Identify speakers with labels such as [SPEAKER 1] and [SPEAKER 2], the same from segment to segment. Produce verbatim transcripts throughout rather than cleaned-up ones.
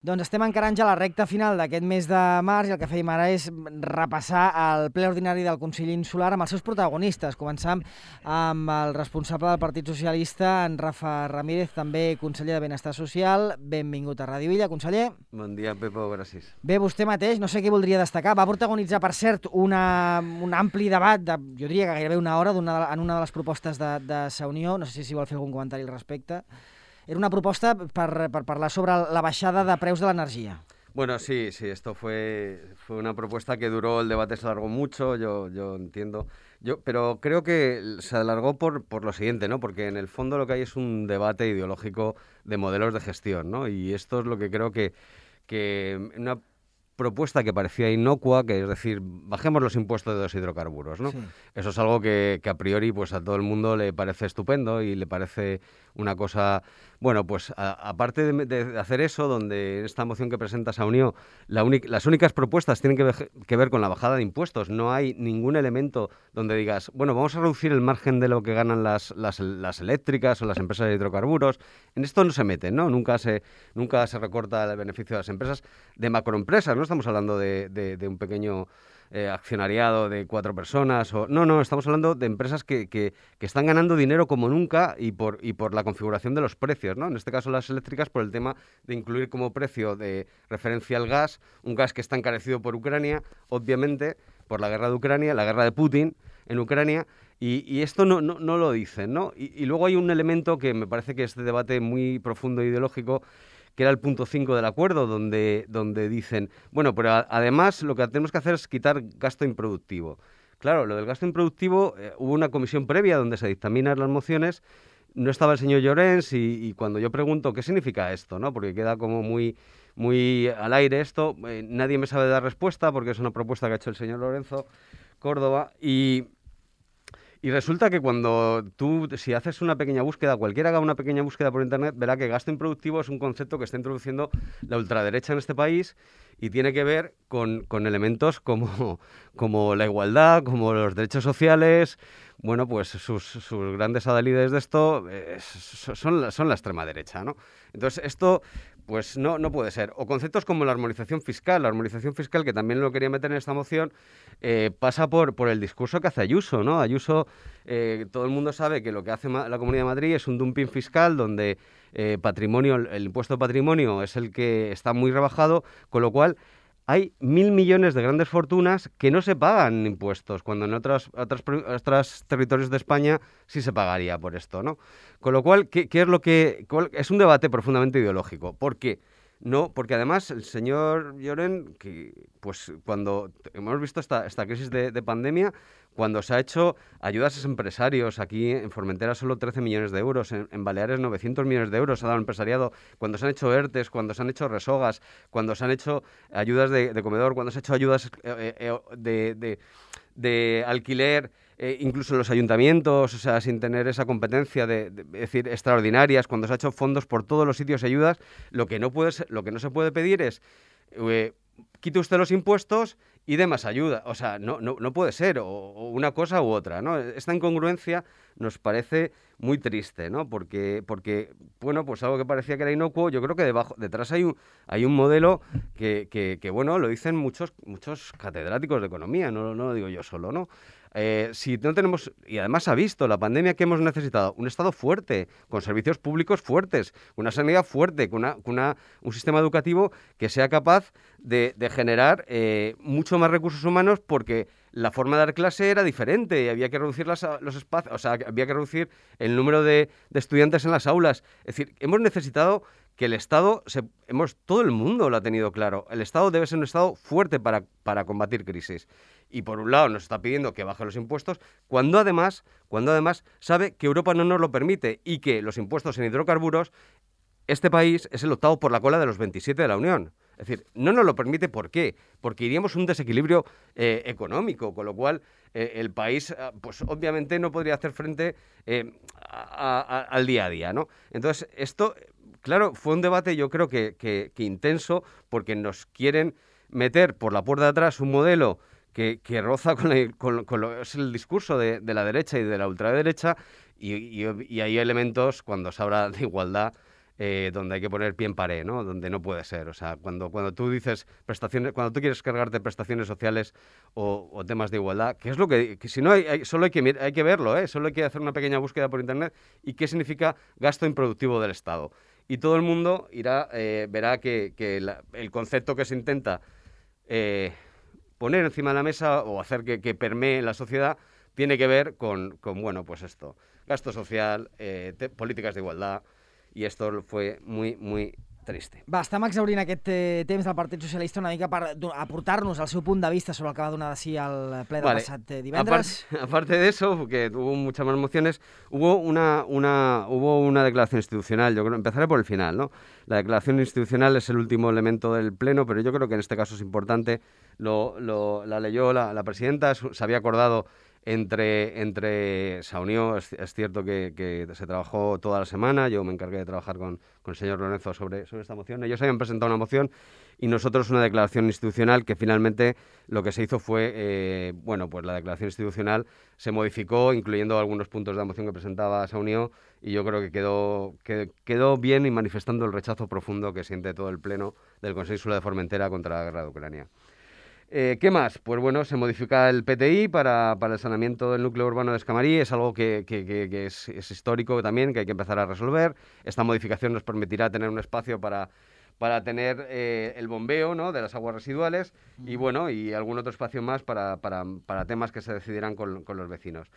[SPEAKER 1] Doncs estem encarant ja la recta final d'aquest mes de març i el que fèiem ara és repassar el ple ordinari del Consell Insular amb els seus protagonistes. Començam amb el responsable del Partit Socialista, en Rafa Ramírez, també conseller de Benestar Social. Benvingut a Ràdio Illa, conseller.
[SPEAKER 2] Bon dia, Pepo, gràcies.
[SPEAKER 1] Bé, vostè mateix, no sé què voldria destacar. Va protagonitzar, per cert, una, un ampli debat, de, jo diria que gairebé una hora, una, en una de les propostes de, de Sa Unió. No sé si vol fer algun comentari al respecte. Era una propuesta per, per parlar sobre la baixada de preus de l'energia.
[SPEAKER 2] Bueno, sí, sí, esto fue, fue una propuesta que duró, el debate se alargó mucho, yo, yo entiendo, yo, pero creo que se alargó por, por lo siguiente, ¿no? Porque en el fondo lo que hay es un debate ideológico de modelos de gestión, ¿no? Y esto es lo que creo que, que una propuesta que parecía inocua, que es decir, bajemos los impuestos de los hidrocarburos, ¿no? Sí. Eso es algo que, que a priori pues a todo el mundo le parece estupendo y le parece una cosa, bueno, pues a, aparte de, de hacer eso, donde en esta moción que presenta Sa Unió, la las únicas propuestas tienen que ver, que ver con la bajada de impuestos, no hay ningún elemento donde digas, bueno, vamos a reducir el margen de lo que ganan las, las, las eléctricas o las empresas de hidrocarburos. En esto no se meten, ¿no? Nunca se, nunca se recorta el beneficio de las empresas, de macroempresas, no estamos hablando de, de, de un pequeño eh, accionariado de cuatro personas. O, no, no, estamos hablando de empresas que, que, que están ganando dinero como nunca y por, y por la configuración de los precios, ¿no? En este caso las eléctricas por el tema de incluir como precio de referencia al gas, un gas que está encarecido por Ucrania, obviamente, por la guerra de Ucrania, la guerra de Putin en Ucrania. Y, y esto no, no, no lo dicen, ¿no? Y, y luego hay un elemento que me parece que es de debate muy profundo e ideológico, que era el punto cinco del acuerdo, donde, donde dicen, bueno, pero a, además lo que tenemos que hacer es quitar gasto improductivo. Claro, lo del gasto improductivo, eh, hubo una comisión previa donde se dictaminan las mociones, no estaba el señor Llorens y, y cuando yo pregunto qué significa esto, ¿no? Porque queda como muy, muy al aire esto, eh, nadie me sabe dar respuesta porque es una propuesta que ha hecho el señor Lorenzo Córdoba y... Y resulta que cuando tú, si haces una pequeña búsqueda, cualquiera haga una pequeña búsqueda por internet, verá que gasto improductivo es un concepto que está introduciendo la ultraderecha en este país y tiene que ver con, con elementos como, como la igualdad, como los derechos sociales. Bueno, pues sus, sus grandes adalides de esto eh, son, la, son la extrema derecha, ¿no? Entonces, esto pues no, no puede ser. O conceptos como la armonización fiscal. La armonización fiscal, que también lo quería meter en esta moción, eh, pasa por, por el discurso que hace Ayuso, ¿no? Ayuso, eh, todo el mundo sabe que lo que hace la Comunidad de Madrid es un dumping fiscal donde eh, patrimonio, el impuesto de patrimonio es el que está muy rebajado, con lo cual hay mil millones de grandes fortunas que no se pagan impuestos, cuando en otros, otros, otros territorios de España sí se pagaría por esto, ¿no? Con lo cual, ¿qué, qué es lo que...? Es un debate profundamente ideológico. ¿Por qué? No, porque además el señor Lloren, que pues cuando hemos visto esta, esta crisis de, de pandemia, cuando se ha hecho ayudas a los empresarios, aquí en Formentera solo trece millones de euros, en, en Baleares novecientos millones de euros ha dado el empresariado, cuando se han hecho ERTES, cuando se han hecho resogas, cuando se han hecho ayudas de, de comedor, cuando se han hecho ayudas eh, eh, de, de, de alquiler, Eh, incluso en los ayuntamientos, o sea, sin tener esa competencia de, de, de decir, extraordinarias, cuando se ha hecho fondos por todos los sitios y ayudas, lo que no puede ser, lo que no se puede pedir es eh, quite usted los impuestos y dé más ayuda. O sea, no, no, no puede ser, o, o una cosa u otra, ¿no? Esta incongruencia nos parece muy triste, ¿no? Porque, porque, bueno, pues algo que parecía que era inocuo, yo creo que debajo, detrás hay un, hay un modelo que, que, que, bueno, lo dicen muchos, muchos catedráticos de economía, no, no lo digo yo solo, ¿no? Eh, si no tenemos, y además ha visto la pandemia que hemos necesitado, un Estado fuerte, con servicios públicos fuertes, con una sanidad fuerte, con, una, con una, un sistema educativo que sea capaz de, de generar eh, mucho más recursos humanos, porque la forma de dar clase era diferente y había que reducir las, los espacios, o sea, había que reducir el número de, de estudiantes en las aulas. Es decir, hemos necesitado que el Estado, se, hemos, todo el mundo lo ha tenido claro, el Estado debe ser un Estado fuerte para, para combatir crisis. Y por un lado nos está pidiendo que baje los impuestos, cuando además, cuando además sabe que Europa no nos lo permite y que los impuestos en hidrocarburos, este país es el octavo por la cola de los veintisiete de la Unión. Es decir, no nos lo permite, ¿por qué? Porque iríamos a un desequilibrio eh, económico, con lo cual eh, el país, pues obviamente no podría hacer frente eh, a, a, al día a día, ¿no? Entonces, esto, claro, fue un debate yo creo que, que, que intenso, porque nos quieren meter por la puerta de atrás un modelo que, que roza con, la, con, con lo, es el discurso de, de la derecha y de la ultraderecha, y, y, y hay elementos, cuando se habla de igualdad, eh, donde hay que poner pie en pared, ¿no? Donde no puede ser. O sea, cuando, cuando tú dices prestaciones, cuando tú quieres cargarte prestaciones sociales o, o temas de igualdad, que es lo que, que si no hay, hay, solo hay que, hay que verlo, ¿eh? Solo hay que hacer una pequeña búsqueda por internet y qué significa gasto improductivo del Estado. Y todo el mundo irá, eh, verá que, que la, el concepto que se intenta eh, poner encima de la mesa o hacer que, que permee la sociedad tiene que ver con, con bueno, pues esto, gasto social, eh, te, políticas de igualdad, i esto fue muy, muy triste.
[SPEAKER 1] Va, estem exhaurint aquest eh, temps del Partit Socialista una mica per aportar-nos el seu punt de vista sobre el que va donar de sí al ple del
[SPEAKER 2] vale.
[SPEAKER 1] passat eh, divendres.
[SPEAKER 2] Aparte, aparte de eso, porque hubo muchas más mociones, hubo una, una, hubo una declaración institucional. Yo creo, empezaré por el final, ¿no? La declaración institucional es el último elemento del Pleno, pero yo creo que en este caso es importante. Lo, lo, la leyó la, la presidenta, se había acordado Entre, entre se unió, es, es cierto que, que se trabajó toda la semana, yo me encargué de trabajar con, con el señor Lorenzo sobre, sobre esta moción. Ellos habían presentado una moción y nosotros una declaración institucional que finalmente lo que se hizo fue, eh, bueno, pues la declaración institucional se modificó, incluyendo algunos puntos de la moción que presentaba Saunió, y yo creo que quedó, que, quedó bien y manifestando el rechazo profundo que siente todo el Pleno del Consejo Insular de Formentera contra la guerra de Ucrania. Eh, ¿Qué más? Pues bueno, se modifica el P T I para, para el saneamiento del núcleo urbano de Escamarí, es algo que, que, que, que es, es histórico también, que hay que empezar a resolver. Esta modificación nos permitirá tener un espacio para, para tener eh, el bombeo, ¿no?, de las aguas residuales y bueno, y algún otro espacio más para, para, para temas que se decidirán con, con los vecinos.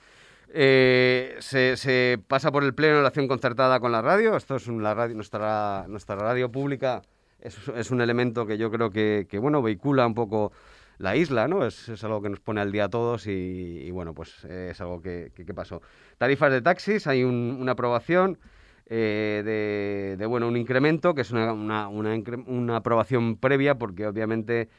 [SPEAKER 2] Eh, se, se pasa por el pleno la acción concertada con la radio. Esto es un, la radio, nuestra, nuestra radio pública es, es un elemento que yo creo que, que bueno, vehicula un poco la isla, ¿no? Es, es algo que nos pone al día a todos y, y bueno, pues eh, es algo que, que, que pasó. Tarifas de taxis, hay un, una aprobación eh, de, de, bueno, un incremento, que es una, una, una, una aprobación previa, porque obviamente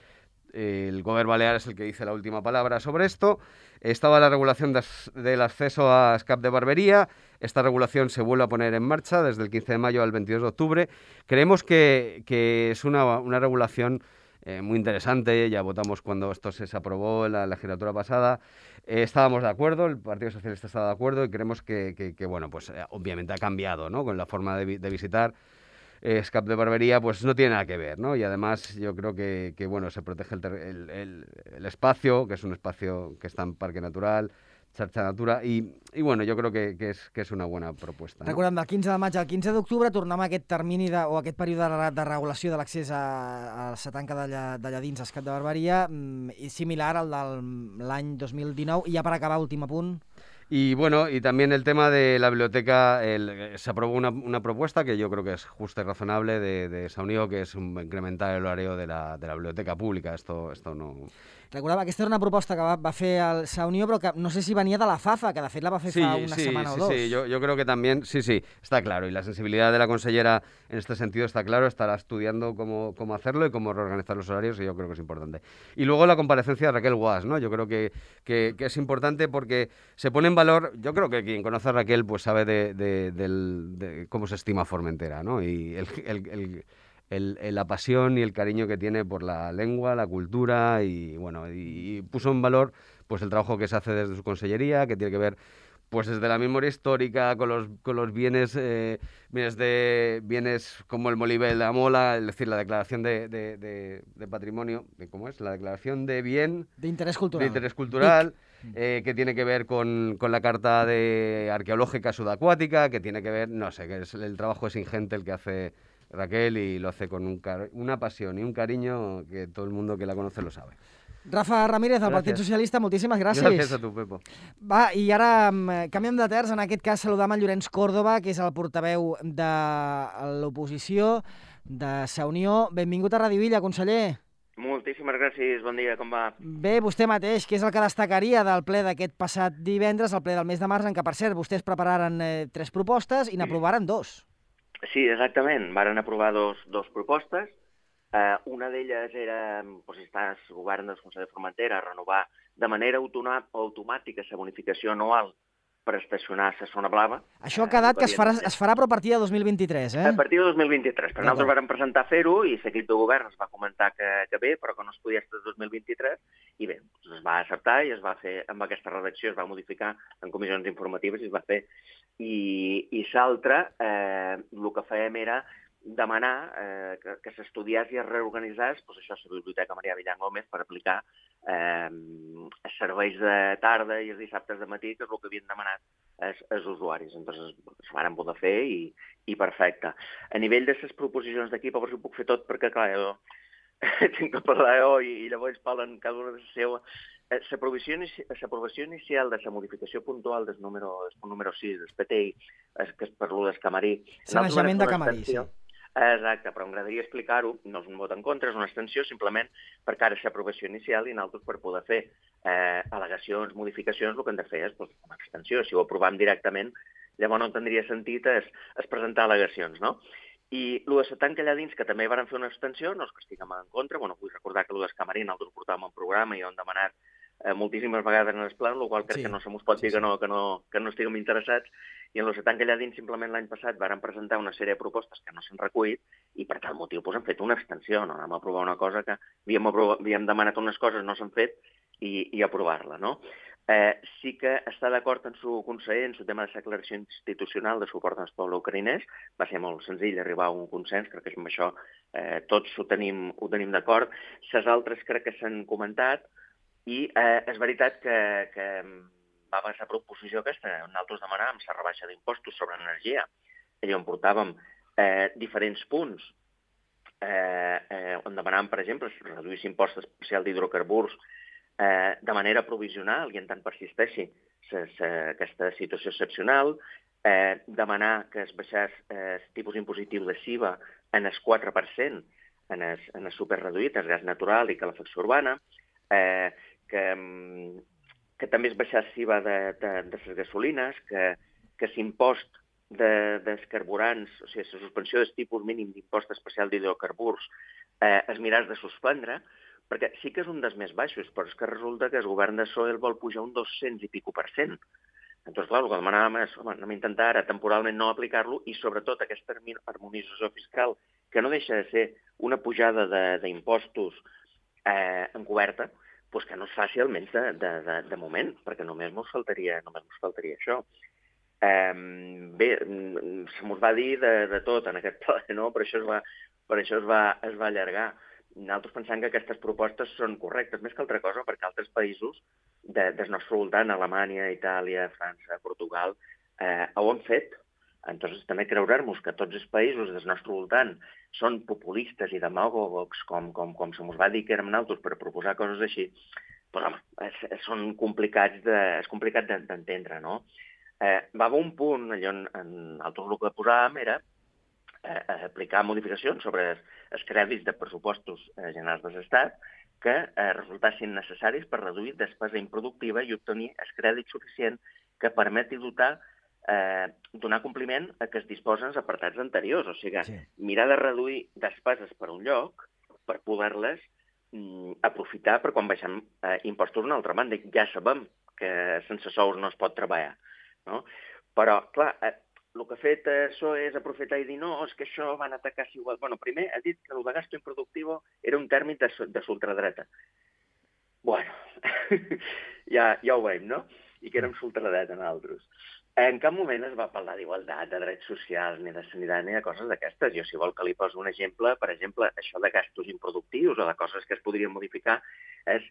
[SPEAKER 2] eh, el Govern Balear es el que dice la última palabra sobre esto. Estaba la regulación de, del acceso a escape de barbería. Esta regulación se vuelve a poner en marcha desde el quince de mayo al veintidós de octubre. Creemos que, que es una, una regulación Eh, muy interesante, ya votamos cuando esto se aprobó en la legislatura pasada, eh, estábamos de acuerdo, el Partido Socialista estaba de acuerdo y creemos que, que, que bueno, pues eh, obviamente ha cambiado, ¿no?, con la forma de, de visitar. Eh, escape de barbería, pues no tiene nada que ver, ¿no? Y además yo creo que, que bueno, se protege el, el, el, el espacio, que es un espacio que está en Parque Natural, Xarxa Natura, i, i bueno, jo crec que, que, és, que és una bona proposta. No?
[SPEAKER 1] Recordem, del quinze de maig al quinze d'octubre tornem a aquest termini de, o aquest període de, de regulació de l'accés a, a la tanca de, de lladins a escape de barberia, mm, similar al de l'any dos mil dinou. I ja per acabar, últim apunt.
[SPEAKER 2] Y bueno, y también el tema de la biblioteca, el, se aprobó una, una propuesta que yo creo que es justa y razonable de, de Saunió, que es un, incrementar el horario de la, de la biblioteca pública. Esto, esto no...
[SPEAKER 1] Recordava, aquesta era una proposta que va, va fer el Saunió, però que no sé si venia de la FAFA, que de fet la va fer
[SPEAKER 2] sí,
[SPEAKER 1] fa una
[SPEAKER 2] sí,
[SPEAKER 1] setmana
[SPEAKER 2] sí,
[SPEAKER 1] o dos.
[SPEAKER 2] Sí, yo, yo creo que también, sí, sí, está claro. Y la sensibilidad de la consellera en este sentido está claro, estará estudiando cómo, cómo hacerlo y cómo reorganizar los horarios, y yo creo que es importante. Y luego la comparecencia de Raquel Guas, ¿no? Yo creo que, que, que es importante porque se pone en valor, yo creo que quien conoce a Raquel pues sabe de, de, de, de cómo se estima Formentera, ¿no? Y el, el, el El, el, la pasión y el cariño que tiene por la lengua, la cultura y bueno, y, y puso en valor pues el trabajo que se hace desde su consellería, que tiene que ver pues desde la memoria histórica con los, con los bienes, eh, bienes, de, bienes como el Molivel de Amola, es decir, la declaración de, de, de, de patrimonio, ¿cómo es? La declaración de bien...
[SPEAKER 1] De interés cultural.
[SPEAKER 2] De interés cultural, eh, que tiene que ver con, con la carta de arqueológica subacuática, que tiene que ver, no sé, que es, el trabajo es ingente el que hace Raquel y lo hace con un una pasión y un cariño que todo el mundo que la conoce lo sabe.
[SPEAKER 1] Rafa Ramírez, del Partit Socialista, moltíssimes gràcies.
[SPEAKER 2] Gràcies a tu, Pepo.
[SPEAKER 1] Va, i ara canviem de terç, en aquest cas saludam en Llorenç Córdoba, que és el portaveu de l'oposició de Saunió. Benvingut a Radio Villa, conseller.
[SPEAKER 3] Moltíssimes gràcies, bon dia, com va?
[SPEAKER 1] Bé, vostè mateix, què és el que destacaria del ple d'aquest passat divendres, el ple del mes de març, en què, per cert, vostès prepararen eh, tres propostes i n'aprovaren dos.
[SPEAKER 3] Sí, exactament. Varen aprovar dos, dos propostes. Uh, una d'elles era, doncs, està el govern del Consell de Formentera, renovar de manera automàtica la bonificació anual per estacionar a la zona blava.
[SPEAKER 1] Això ha quedat que es farà, es farà però a partir de dos mil vint-i-tres, eh?
[SPEAKER 3] A partir de dos mil vint-i-tres. Però nosaltres vam presentar fer-ho i l'equip de govern es va comentar que, que bé, però que no es podia estar dos mil vint-i-tres. I bé, es va acceptar i es va fer, amb aquesta redacció es va modificar en comissions informatives i es va fer. I, i l'altre, eh, el que fèiem era demanar eh, que, que s'estudiés i es reorganitzés, doncs això, la Biblioteca Marià Villar Gómez per aplicar eh, els serveis de tarda i els dissabtes de matí, que és el que havien demanat els, els usuaris. Entonces, es van poder fer i, i perfecte. A nivell de les proposicions d'equip, a veure si ho puc fer tot, perquè, clar, jo tinc que parlar jo i, i llavors parlen cada una de la seva. L'aprovació inici, inicial de la modificació puntual del número, del punt número sis, del P T I, és, que és per l'u del Camarí.
[SPEAKER 1] Sanejament de Camarí, sí.
[SPEAKER 3] Exacte, però m'agradaria explicar-ho, no és un vot en contra, és una extensió simplement per cara a l'aprovació inicial i nosaltres per poder fer eh, al·legacions, modificacions, el que hem de fer és doncs, una extensió. Si ho aprovem directament, llavors no tindria sentit es, es presentar al·legacions, no? I el de la tanca allà dins, que també van fer una extensió, no és que estiguem en contra, bueno, vull recordar que el del Camarí nosaltres ho portàvem en programa i ho hem demanat eh, moltíssimes vegades en el pla, el qual crec sí, que no se mos pot dir sí, sí. que, no, que, no, que no estiguem interessats. I en el tanca allà dins, simplement l'any passat, varen presentar una sèrie de propostes que no s'han recollit i per tal motiu doncs, han fet una extensió, no? Anem a aprovar una cosa que havíem, aprovat, havíem demanat unes coses, no s'han fet, i, i aprovar-la, no? Eh, sí que està d'acord en su conseller en su tema de la declaració institucional de suport al poble ucraïnès. Va ser molt senzill arribar a un consens, crec que amb això eh, tots ho tenim, ho tenim d'acord. Les altres crec que s'han comentat i eh, és veritat que, que va passar proposició aquesta. Nosaltres demanàvem la rebaixa d'impostos sobre energia. Allà on portàvem eh, diferents punts eh, eh, on demanàvem, per exemple, reduir l'impost especial d'hidrocarburs Eh, de manera provisional i en tant persisteixi ses, eh, aquesta situació excepcional, eh, demanar que es baixés el eh, tipus impositiu de S I V A en el quatre per cent en el, en el superreduït, el gas natural i calefacció urbana, eh, que, que també es baixés S I V A de, de, de les gasolines, que, que l'impost de, dels carburants, o sigui, la suspensió del tipus mínim d'impost especial d'hidrocarburs eh, es miràs de suspendre, perquè sí que és un dels més baixos, però és que resulta que el govern de P S O E el vol pujar un dos-cents i pico per cent. Doncs, clar, el que demanàvem és, home, anem a intentar ara temporalment no aplicar-lo i, sobretot, aquesta harmonització fiscal, que no deixa de ser una pujada d'impostos eh, encoberta, doncs que no es faci almenys de, de, de, de moment, perquè només ens faltaria, només ens faltaria això. Eh, bé, se mos va dir de, de tot en aquest ple, no? Per això es va, per això es va, es va allargar. Nosaltres pensem que aquestes propostes són correctes, més que altra cosa, perquè altres països de, del nostre voltant, Alemanya, Itàlia, França, Portugal, eh, ho han fet. Entonces, també creure'ns que tots els països del nostre voltant són populistes i demagògics, com, com, com se mos va dir que érem nosaltres per proposar coses així, però, home, és, són complicats de, és complicat d'entendre, no? Eh, va haver un punt, allò en, en altres el que posàvem era eh, aplicar modificacions sobre els crèdits de pressupostos eh, generals de l'Estat que eh, resultassin necessaris per reduir despesa improductiva i obtenir el crèdit suficient que permeti dotar, eh, donar compliment a que es disposen els apartats anteriors. O sigui, sí. mirar de reduir despeses per un lloc per poder-les mm, aprofitar per quan baixem eh, impostos d'una altra banda. Ja sabem que sense sous no es pot treballar, no? Però, clar, eh, el que ha fet P S O E és aprofitar i dir no, és que això van atacar si igual. Bueno, primer ha dit que el de gasto improductivo era un tèrmin de, de l'ultradreta. Bueno, ja, ja ho veiem, no? I que érem l'ultradreta nosaltres. En cap moment es va parlar d'igualtat, de drets socials, ni de sanitat, ni de coses d'aquestes. Jo, si vol que li posi un exemple, per exemple, això de gastos improductius o de coses que es podrien modificar, és,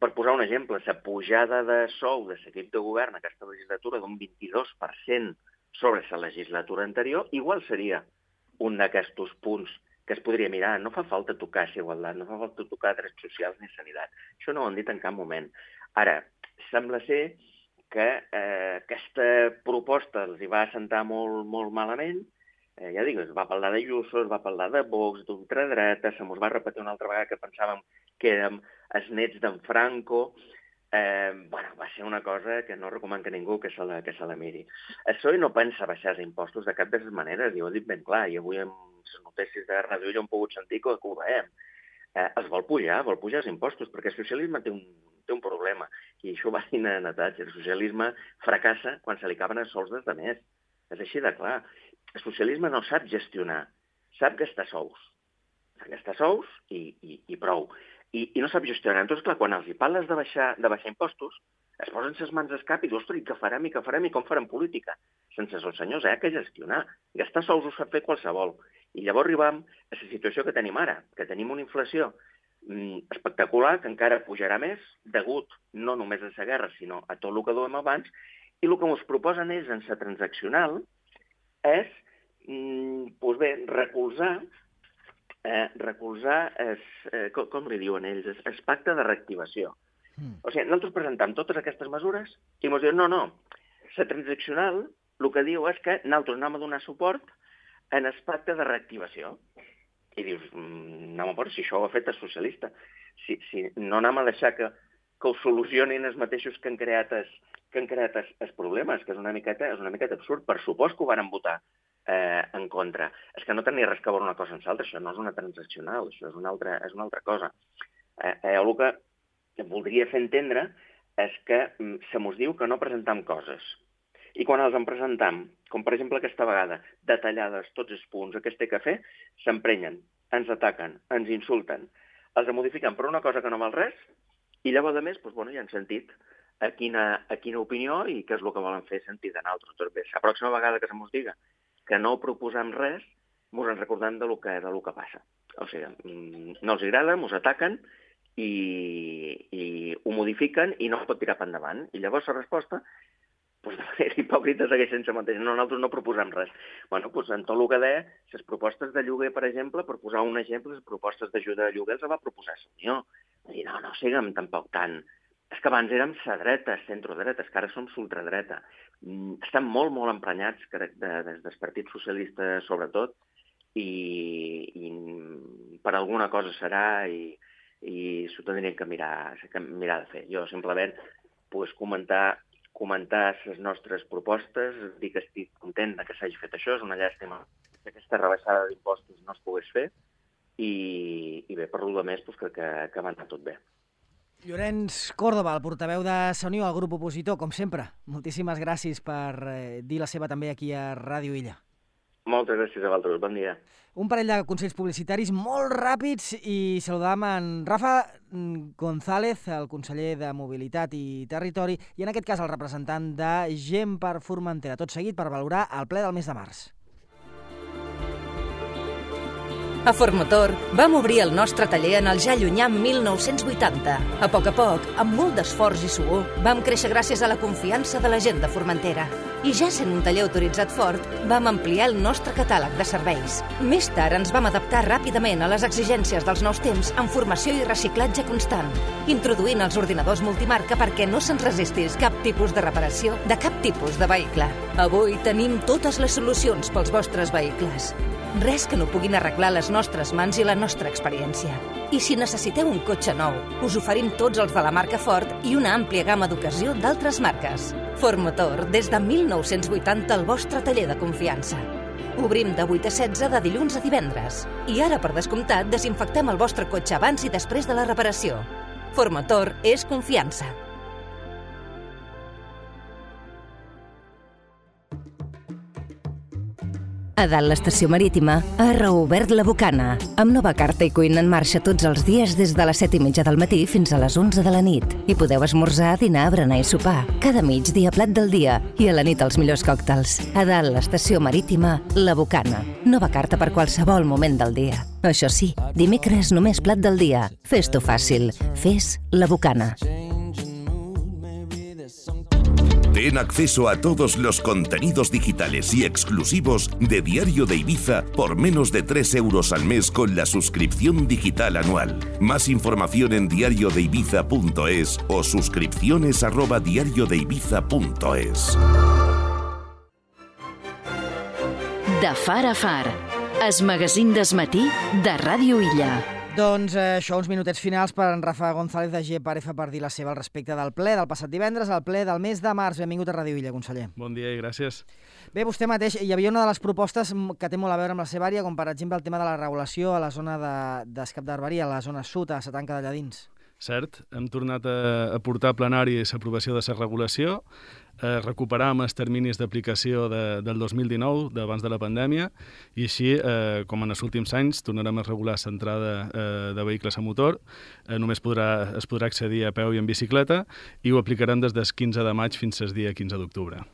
[SPEAKER 3] per posar un exemple, la pujada de sou de l'equip de govern aquesta legislatura d'un vint-i-dos per cent sobre la legislatura anterior, igual seria un d'aquests punts que es podria mirar. No fa falta tocar la igualtat, no fa falta tocar drets socials ni sanitat. Això no ho han dit en cap moment. Ara, sembla ser que eh, aquesta proposta els hi va assentar molt, molt malament. Eh, ja dic, es va parlar de Ayuso, es va parlar de Vox, d'ultradreta, se mos va repetir una altra vegada que pensàvem que érem els nets d'en Franco. Eh, bueno, va ser una cosa que no recomano que ningú que se la, que se la miri. El P S O E no pensa baixar els impostos de cap de les maneres, i ho he dit ben clar, i avui amb les notícies de Ràdio Illa hem pogut sentir que ho veiem. Eh, els vol pujar, vol pujar els impostos, perquè el socialisme té un, té un problema, i això va dir en Natatge, el socialisme fracassa quan se li acaben els sous dels altres. És així de clar. El socialisme no sap gestionar, sap gastar sous. Sap gastar sous i, i, i prou. i, i no sap gestionar. Entonces, clar, quan els hi parles de baixar, de baixar impostos, es posen ses mans al cap i dius, ostres, i què farem, i què farem, i com farem política? Sense els senyors, eh, que gestionar. Gastar sols ho sap fer qualsevol. I llavors arribam a la situació que tenim ara, que tenim una inflació mm, espectacular, que encara pujarà més, degut no només a la guerra, sinó a tot el que duem abans, i el que ens proposen ells en la transaccional és, mm, doncs bé, recolzar, eh, recolzar es, eh, com, com li diuen ells, el pacte de reactivació. Mm. O sigui, nosaltres presentem totes aquestes mesures i ens diuen, no, no, la transaccional el que diu és que nosaltres anem a donar suport en el pacte de reactivació. I dius, mm, no m'aporta, si això ho ha fet el socialista, si, si no anem a deixar que, que ho solucionin els mateixos que han creat els, que han creat els, els problemes, que és una miqueta, és una miqueta absurd. Per supost que ho van votar eh, en contra. És que no tenia res que veure una cosa amb l'altra, això no és una transaccional, això és una altra, és una altra cosa. Eh, eh, el que voldria fer entendre és que mm, se mos diu que no presentam coses. I quan els en presentam, com per exemple aquesta vegada, detallades tots els punts, què es té que fer, s'emprenyen, ens ataquen, ens insulten, els modifiquen per una cosa que no val res, i llavors, a més, doncs, bueno, ja han sentit a quina, a quina opinió i què és el que volen fer sentir de nosaltres. Tot bé, la pròxima vegada que se mos diga que no proposem res, mos en recordem de lo que, de lo que passa. O sigui, no els agrada, mos ataquen i, i ho modifiquen i no es pot tirar per endavant. I llavors la resposta, doncs, de manera hipòcrita, segueix sense mateix. No, nosaltres no proposem res. Bueno, doncs, en tot el que deia, les propostes de lloguer, per exemple, per posar un exemple, les propostes d'ajuda de lloguer els va proposar la Unió. I no, no siguem tampoc tan... És que abans érem la dreta, centrodreta, és que ara som l'ultradreta. Estan molt, molt emprenyats de, de, des del Partit Socialista, sobretot, i, i per alguna cosa serà i, i s'ho tindrien que mirar, que mirar de fer. Jo simplement pues, comentar, comentar les nostres propostes, dir que estic content que s'hagi fet això, és una llàstima que aquesta rebaixada d'impostos no es pogués fer, i, i bé, per lo de més, pues, crec que, que va anar tot bé.
[SPEAKER 1] Llorenç Córdoba, el portaveu de la Unió, el grup opositor, com sempre. Moltíssimes gràcies per eh, dir la seva també aquí a Ràdio Illa.
[SPEAKER 3] Moltes gràcies a vosaltres, bon dia.
[SPEAKER 1] Un parell de consells publicitaris molt ràpids i saludam en Rafa González, el conseller de Mobilitat i Territori, i en aquest cas el representant de Gent per Formentera. Tot seguit per valorar el ple del mes de març.
[SPEAKER 4] A Formotor vam obrir el nostre taller en el ja llunyà mil nou-cents vuitanta. A poc a poc, amb molt d'esforç i suor, vam créixer gràcies a la confiança de la gent de Formentera. I ja sent un taller autoritzat Ford, vam ampliar el nostre catàleg de serveis. Més tard ens vam adaptar ràpidament a les exigències dels nous temps amb formació i reciclatge constant, introduint els ordinadors multimarca perquè no se'ns resistís cap tipus de reparació de cap tipus de vehicle. Avui tenim totes les solucions pels vostres vehicles. Res que no puguin arreglar les nostres mans i la nostra experiència. I si necessiteu un cotxe nou, us oferim tots els de la marca Ford i una àmplia gamma d'ocasió d'altres marques. Ford Motor, des de mil nou-cents vuitanta, el vostre taller de confiança. Obrim de vuit a setze de dilluns a divendres. I ara, per descomptat, desinfectem el vostre cotxe abans i després de la reparació. Ford Motor és confiança. A dalt l'estació marítima ha reobert la Bocana, amb nova carta i cuina en marxa tots els dies des de les set i mitja del matí fins a les onze de la nit. Hi podeu esmorzar, dinar, berenar i sopar. Cada migdia plat del dia i a la nit els millors còctels. A dalt l'estació marítima, la Bocana. Nova carta per qualsevol moment del dia. Això sí, dimecres només plat del dia. Fes-t'ho fàcil. Fes la Bocana.
[SPEAKER 5] Ten acceso a todos los contenidos digitales y exclusivos de Diario de Ibiza por menos de tres euros al mes con la suscripción digital anual. Más información en diario de ibiza punto es o suscripciones arroba diario de ibiza punto es.
[SPEAKER 6] De far a far, es magazín d'esmatí de Ràdio Illa.
[SPEAKER 1] Doncs eh, això, uns minutets finals per en Rafa González de G per F per dir la seva al respecte del ple del passat divendres, el ple del mes de març. Benvingut a Ràdio Illa, conseller.
[SPEAKER 7] Bon dia i gràcies.
[SPEAKER 1] Bé, vostè mateix, hi havia una de les propostes que té molt a veure amb la seva àrea, com per exemple el tema de la regulació a la zona d'Escap de, d'Arberia, a la zona sud, a la Tanca d'allà dins.
[SPEAKER 7] cert, hem tornat a, a portar a plenari l'aprovació de la regulació, eh, recuperam els terminis d'aplicació de, del dos mil dinou, d'abans de la pandèmia, i així, eh, com en els últims anys, tornarem a regular l'entrada eh, de vehicles a motor, eh, només podrà, es podrà accedir a peu i en bicicleta, i ho aplicarem des del quinze de maig fins al dia quinze d'octubre.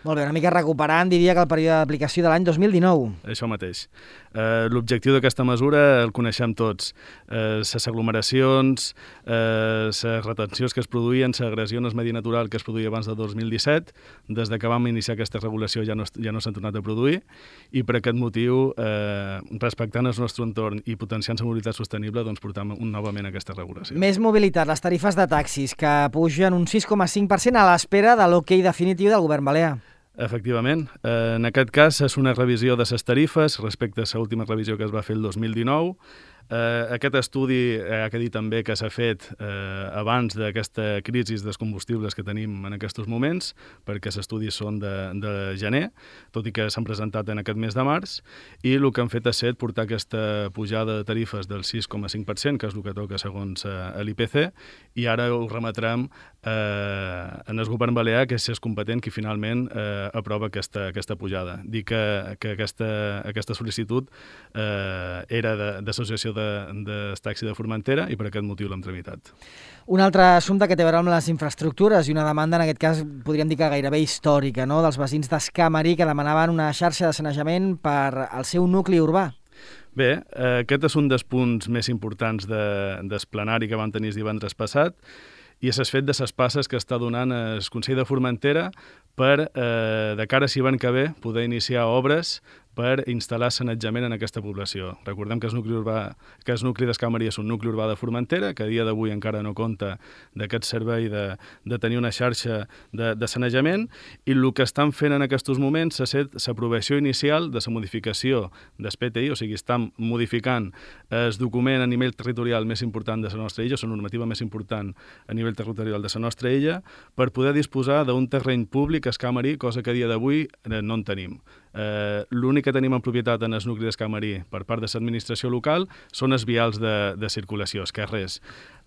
[SPEAKER 1] Molt bé, una mica recuperant, diria que el període d'aplicació de l'any dos mil dinou.
[SPEAKER 7] Això mateix. Eh, L'objectiu d'aquesta mesura el coneixem tots. Eh, les aglomeracions, eh, les retencions que es produïen, l'agressió en el medi natural que es produïa abans del dos mil disset, des de que vam iniciar aquesta regulació ja no, ja no s'han tornat a produir, i per aquest motiu, eh, respectant el nostre entorn i potenciant la mobilitat sostenible, doncs portam un, novament aquesta regulació.
[SPEAKER 1] Més mobilitat, les tarifes de taxis, que pugen un sis coma cinc per cent a l'espera de l'ok definitiu del govern balear.
[SPEAKER 7] Efectivament. Eh, en aquest cas és una revisió de les tarifes respecte a l'última revisió que es va fer el dos mil dinou. Eh, aquest estudi eh, ha de dir també que s'ha fet eh, abans d'aquesta crisi dels combustibles que tenim en aquests moments, perquè els estudis són de, de gener, tot i que s'han presentat en aquest mes de març, i el que han fet ha estat portar aquesta pujada de tarifes del sis coma cinc per cent, que és el que toca segons eh, l'I P C, i ara ho remetrem eh, en el govern balear, que és competent qui finalment eh, aprova aquesta, aquesta pujada. Dic que, que aquesta, aquesta sol·licitud eh, era d'associació de de, de taxi de Formentera i per aquest motiu l'hem tramitat.
[SPEAKER 1] Un altre assumpte que té a veure amb les infraestructures i una demanda, en aquest cas, podríem dir que gairebé històrica, no?, dels veïns d'Escamari, que demanaven una xarxa de sanejament per al seu nucli urbà.
[SPEAKER 7] Bé, eh, aquest és un dels punts més importants de, del plenari que vam tenir divendres passat, i és el fet de les passes que està donant el Consell de Formentera per, eh, de cara a l'hivern que ve, poder iniciar obres per instal·lar sanejament en aquesta població. Recordem que el nucli urbà, que el nucli d'Escamari és un nucli urbà de Formentera, que a dia d'avui encara no compta d'aquest servei de, de tenir una xarxa de, de sanejament, i el que estan fent en aquests moments és l'aprovació inicial de la modificació del P T I, o sigui, estan modificant el document a nivell territorial més important de la nostra illa, la normativa més important a nivell territorial de la nostra illa, per poder disposar d'un terreny públic a Escamari, cosa que a dia d'avui no en tenim. Eh, l'únic que tenim en propietat en el nucli d'Escamari per part de l'administració local són els vials de, de circulació, els carrers.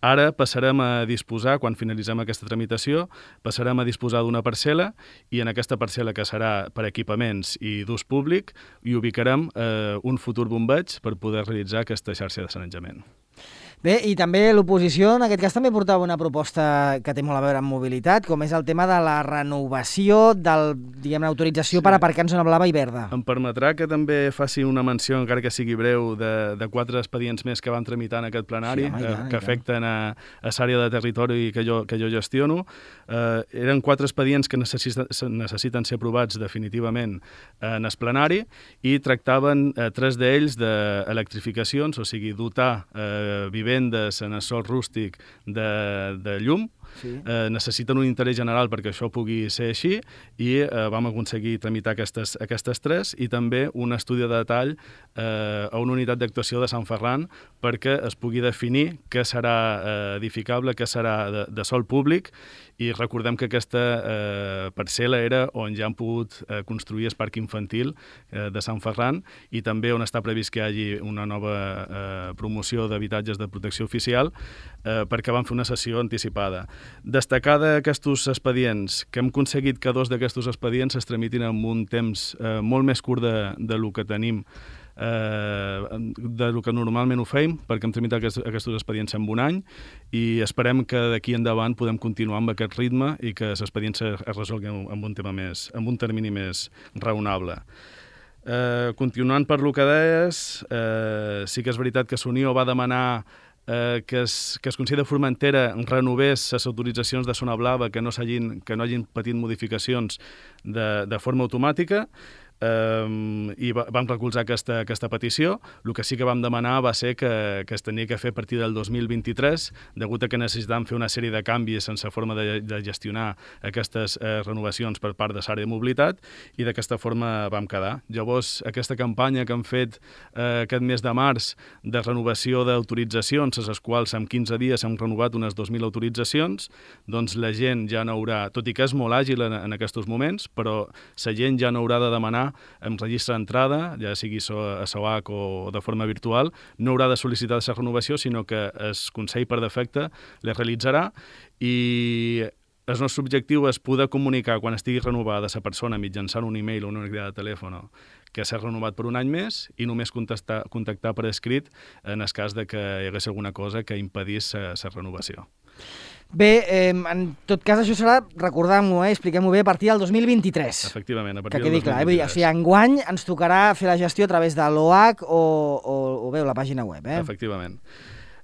[SPEAKER 7] Ara passarem a disposar, quan finalitzem aquesta tramitació, passarem a disposar d'una parcel·la, i en aquesta parcel·la, que serà per equipaments i d'ús públic, hi ubicarem eh, un futur bombeig per poder realitzar aquesta xarxa de sanejament.
[SPEAKER 1] Bé, i també l'oposició, en aquest cas, també portava una proposta que té molt a veure amb mobilitat, com és el tema de la renovació del, diguem, l'autorització sí. per aparcar en zona blava i verda.
[SPEAKER 7] Em permetrà que també faci una menció, encara que sigui breu, de, de quatre expedients més que van tramitar en aquest plenari, sí, home, ja, que ja. afecten a, a l'àrea de territori que jo, que jo gestiono. Eh, eren quatre expedients que necessita, necessiten ser aprovats definitivament en el plenari, i tractaven eh, tres d'ells d'electrificacions, o sigui, dotar eh, vivendes en el sòl rústic de, de llum. Sí. Eh, necessiten un interès general perquè això pugui ser així, i eh, vam aconseguir tramitar aquestes, aquestes tres, i també un estudi de detall eh, a una unitat d'actuació de Sant Ferran perquè es pugui definir què serà eh, edificable, què serà de, de sòl públic, i recordem que aquesta eh, parcel·la era on ja han pogut eh, construir el parc infantil eh, de Sant Ferran, i també on està previst que hi hagi una nova eh, promoció d'habitatges de protecció oficial, eh, perquè van fer una sessió anticipada. Destacar d'aquests expedients que hem aconseguit que dos d'aquests expedients es tramitin en un temps eh, molt més curt de, de lo que tenim, eh, de lo que normalment ho feim, perquè hem tramitat aquests, aquests expedients en un any, i esperem que d'aquí endavant podem continuar amb aquest ritme i que els expedients es resolguin amb un tema més, amb un termini més raonable. Eh, continuant per lo que deies, eh, sí que és veritat que l'Unió va demanar Eh, que, es, que es Consell de Formentera renovés les autoritzacions de zona blava que no, que no hagin patit modificacions de, de forma automàtica, eh, i va, vam recolzar aquesta, aquesta petició. El que sí que vam demanar va ser que, que es tenia que fer a partir del dos mil vint-i-tres, degut a que necessitàvem fer una sèrie de canvis sense forma de, de gestionar aquestes eh, renovacions per part de l'àrea de mobilitat, i d'aquesta forma vam quedar. Llavors, aquesta campanya que hem fet eh, aquest mes de març de renovació d'autoritzacions, a les quals en quinze dies hem renovat unes dos mil autoritzacions, doncs la gent ja no haurà, tot i que és molt àgil en, en aquests moments, però la gent ja no haurà de demanar entrar amb registre d'entrada, ja sigui a S O H o de forma virtual, no haurà de sol·licitar la renovació, sinó que el Consell per defecte la realitzarà i el nostre objectiu és poder comunicar quan estigui renovada la persona mitjançant un e-mail o una unidad de telèfon que s'ha renovat per un any més i només contactar, contactar per escrit en el cas de que hi hagués alguna cosa que impedís la renovació.
[SPEAKER 1] Bé, eh, en tot cas això serà, recordem-ho, eh, expliquem-ho bé, a partir del dos mil vint-i-tres.
[SPEAKER 7] Efectivament, a partir
[SPEAKER 1] que
[SPEAKER 7] del
[SPEAKER 1] quedi
[SPEAKER 7] dos mil vint-i-tres.
[SPEAKER 1] clar, eh? Vull dir, o sigui, enguany ens tocarà fer la gestió a través de l'O H o, o, o bé, la pàgina web. Eh?
[SPEAKER 7] Efectivament.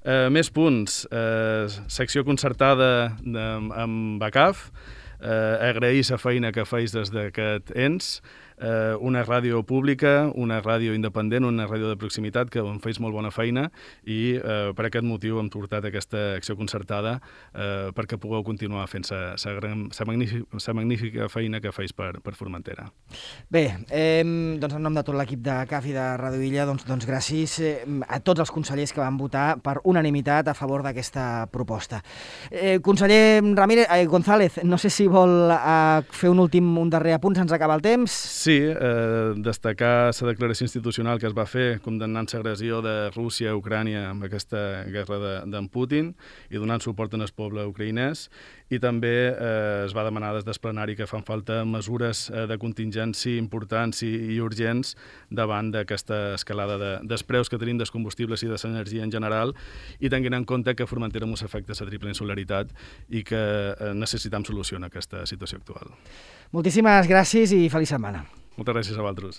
[SPEAKER 7] Uh, més punts. Uh, secció concertada de, amb B A C A F. Uh, agrair la feina que feis des d'aquest ens. Uh, una ràdio pública, una ràdio independent, una ràdio de proximitat, que en feis molt bona feina i uh, per aquest motiu hem portat aquesta acció concertada uh, perquè pugueu continuar fent la magnífica, magnífica feina que feis per, per Formentera.
[SPEAKER 1] Bé, eh, doncs en nom de tot l'equip de C A F i de Ràdio Illa, doncs, doncs gràcies eh, a tots els consellers que van votar per unanimitat a favor d'aquesta proposta. Eh, conseller Ramírez, eh, González, no sé si vol eh, fer un últim, un darrer apunt, se'ns acaba el temps.
[SPEAKER 7] Sí, eh, destacar la declaració institucional que es va fer condemnant l'agressió de Rússia a Ucrània amb aquesta guerra d'en de, Putin i donant suport al poble ucraïnès, i també eh, es va demanar des del plenari que fan falta mesures eh, de contingència importants i, i urgents davant d'aquesta escalada de, dels preus que tenim dels combustibles i de l'energia en general, i tenint en compte que Formentera mos afecta la triple insularitat i que eh, necessitem solució en aquesta situació actual.
[SPEAKER 1] Moltíssimes gràcies i feliç setmana.
[SPEAKER 7] Moltes gràcies a vosaltres.